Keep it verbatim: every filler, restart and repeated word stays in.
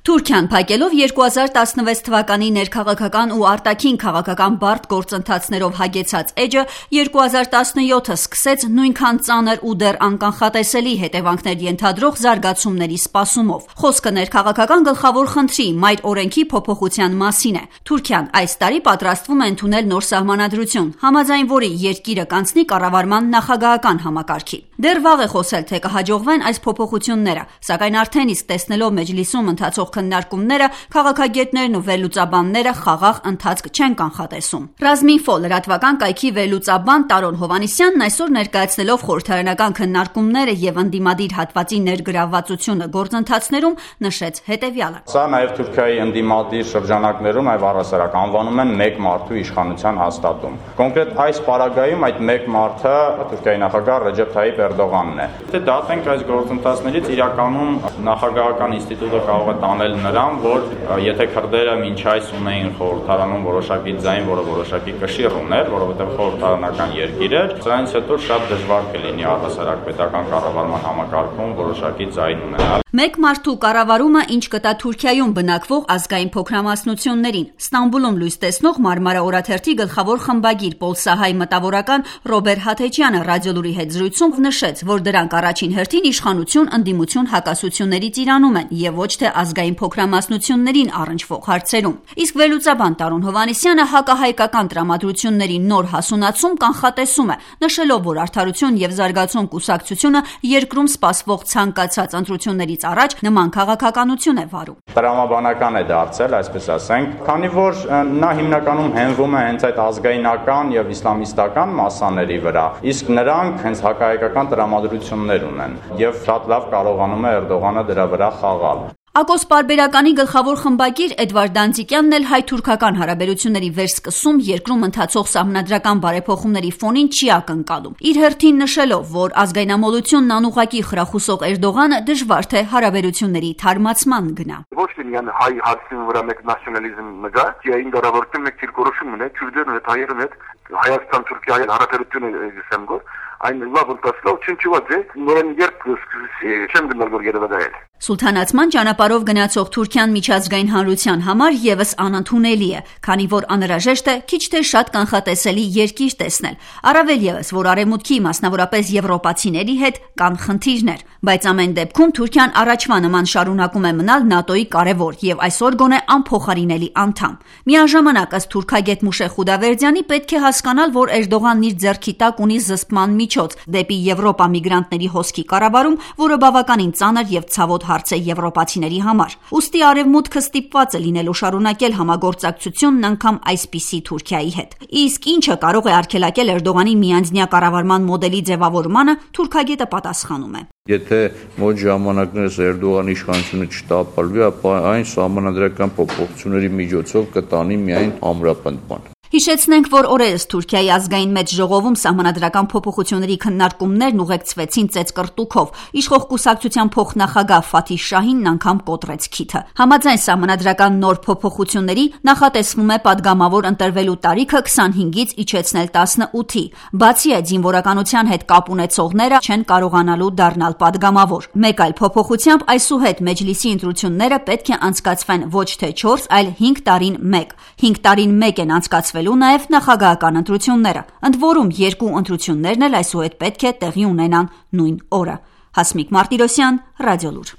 Թուրքիան փակելով երկու հազար տասնվեց թվականի ներքաղաքական ու արտաքին քաղաքական բարդ գործընթացներով հագեցած էջը երկու հազար տասնյոթը սկսեց նույնքան ծանր ու դեռ անկանխատեսելի հետևանքներ ենթադրող զարգացումների սպասումով։ Խոսքը ներքաղաքական գլխավոր խնդրի՝ մայր օրենքի փոփոխության մասին է։ Թուրքիան այս տարի պատրաստվում է ընդունել նոր սահմանադրություն, համաձայն որի երկիրը կանցնի կառավարման նախագահական համակարգի։ Դեռ վաղ է խոսել, թե կհաջողվեն այս փոփոխությունները, սակայն արդեն իսկ տեսնելով Մեջլիսում ընթացող քննարկումները, քաղաքագետներն ու վերլուծաբանները խաղաղ ընթացք չեն կանխատեսում։ Ռազմինֆո լրատվական կայքի վերլուծաբան Տարոն Հովհաննիսյանն այսօր ներկայացնելով խորհրդարանական քննարկումները եւ ընդդիմադիր հատվածի ներգրավվածությունը գործընթացներում նշեց հետեւյալը. Սա նաեւ Թուրքիայի ընդդիմադիր շրջանակներում այ առասարակ անվանում են մեկ մարդու իշխանության հաստատում։ Կոնկրետ այս պարագայում այդ մեկ մարդը Թուրքիայի նախագահ Ռեջեփ Թայիփ Էրդողանն է։ Եթե դատենք այս գործընթացներից, իրականում նախագահական ինստիտուտը կարող է տանել նրան, որ եթե քրդերը մինչ այս ունեին խորհրդարանում որոշակի ձայն, որը որոշակի կշիռ ուներ, որովհետև խորհրդարանական երկիր էր, սրանից հետո շատ դժվար կլինի առհասարակ պետական կառավարման համակարգում որոշակի ձայն ունենալ։ Մեկ մարդու կառավարումը ինչ կտա Թուրքիայում բնակվող ազգային փոքրամասնություններին։ Ստամբուլում լույս տեսնող Մարմարա օրաթերթի գլխավոր խմբագիր Պոլսահայ մտավորական Ռոբեր Հաթեչյանը ռադիոլուրի հետ զրույցում նշեց, որ դրանք առաջին հերթին իշխանություն ընդդիմություն հակասություններից իրանում են եւ ոչ թե ազգային փոքրամասնություններին առնչվող հարցերում։ Իսկ վերլուծաբան Տարոն Հովհաննիսյանը հակահայկական տրամադրությունների նոր հասունացում կանխատեսում է, նշելով, որ Արդարություն եւ զարգացում կուսակցությունը երկրում սպասվող ցանկացած ընտրություններից առաջ նման քաղաքականություն է վարում։ Տրամաբանական է դարձել, այսպես ասենք, քանի որ նա հիմնականում հենվում է հենց այդ ազգայնական եւ իսլամիստական մասաների վրա, իսկ նրանք հենց հակահայկական տրամադրություններ ունեն եւ շատ լավ կարողանում է Էրդողանը դրա վրա խաղալ։ Ակոս պարբերականի գլխավոր խմբագիր Էդվարդ Դանձիկյանն էլ հայ-թուրքական հարաբերությունների վերսկսում երկրում ընթացող սահմանադրական բարեփոխումների ֆոնին չի ակնկալում։ Իր հերթին նշելով, որ ազգայնամոլությունն անուղղակի խրախուսող Էրդողանը դժվար թե հարաբերությունների թարմացման գնա։ Ոչ թե հայ հարցի վրա մեկ նացիոնալիզմ մգա, այն դարավորություն մեկ դիրքորոշում ունի, քուրդերն հետ հայերն հետ Հայաստան-Թուրքիայի հարաբերությունը գսեմ գոր, այն լավ ընթացավ, չնչված է, նորեն երբ սկսի չեմ գնալ որ երևակայել։ Սուլթանացման ճանապարհով գնացող Թուրքիան միջազգային հանրության համար եւս անընդունելի է, քանի որ անհրաժեշտ է քիչ թե շատ կանխատեսելի երկիր տեսնել, առավել եւս, որ արևմուտքի, մասնավորապես եվրոպացիների հետ կան խնդիրներ, բայց ամեն դեպքում Թուրքիան առաջվա նման շարունակում է մնալ ՆԱՏՕ-ի կարևոր եւ այսօր գոնե անփոխարինելի անդամ։ Միաժամանակ ըստ թուրքագետ Մուշե Խուդավերդյանի պետք է հասկանալ, որ Էրդողանն իր ձեռքի տակ ունի զսպման միջոց դեպի Եվրոպա միգրանտների հոսքի կառավարում, որը բավականին ծանր եւ ցավոտ հարց է եվրոպացիների համար։ Ուստի արևմուտքը ստիպված է լինելու շարունակել համագործակցությունն անգամ այսպիսի Թուրքիայի հետ։ Իսկ ինչը կարող է արգելակել Էրդողանի միանձնյա կառավարման մոդելի ձևավորմանը, թուրքագետը պատասխանում է. Եթե մոտ ժամանակներս Էրդողանի իշխանությունը չտապալվի, ապա այն սահմանադրական փոփոխությունների միջոցով կտանի միայն ամրապնդման։ Հիշեցնենք, որ օրերս Թուրքիայի ազգային մեծ ժողովում սահմանադրական փոփոխությունների քննարկումներն ուղեկցվեցին ծեծկռտուքով։ Իշխող կուսակցության փոխնախագահ Ֆաթիհ Շահինն անգամ կոտրեց քիթը։ Համաձայն սահմանադրական նոր փոփոխությունների նախատեսվում է падգամավոր ընտրվելու տարիքը քսանհինգից իջեցնել տասնութի։ Բացի այդ, զինվորականության հետ կապ ունեցողները չեն կարողանալու դառնալ падգամավոր։ Մեկ այլ փոփոխությամբ այսուհետ Մեջլիսի ընտրությունները պետք է անցկացվեն ոչ թե չորս, այլ հինգ տարին մեկ։ հինգ տարին մեկ են անցկացվել նաև նախագահական ընտրությունները, ընդ որում երկու ընտրություններն էլ այսուհետ պետք է տեղի ունենան նույն օրը։ Հասմիկ Մարտիրոսյան, Ռադիոլուր։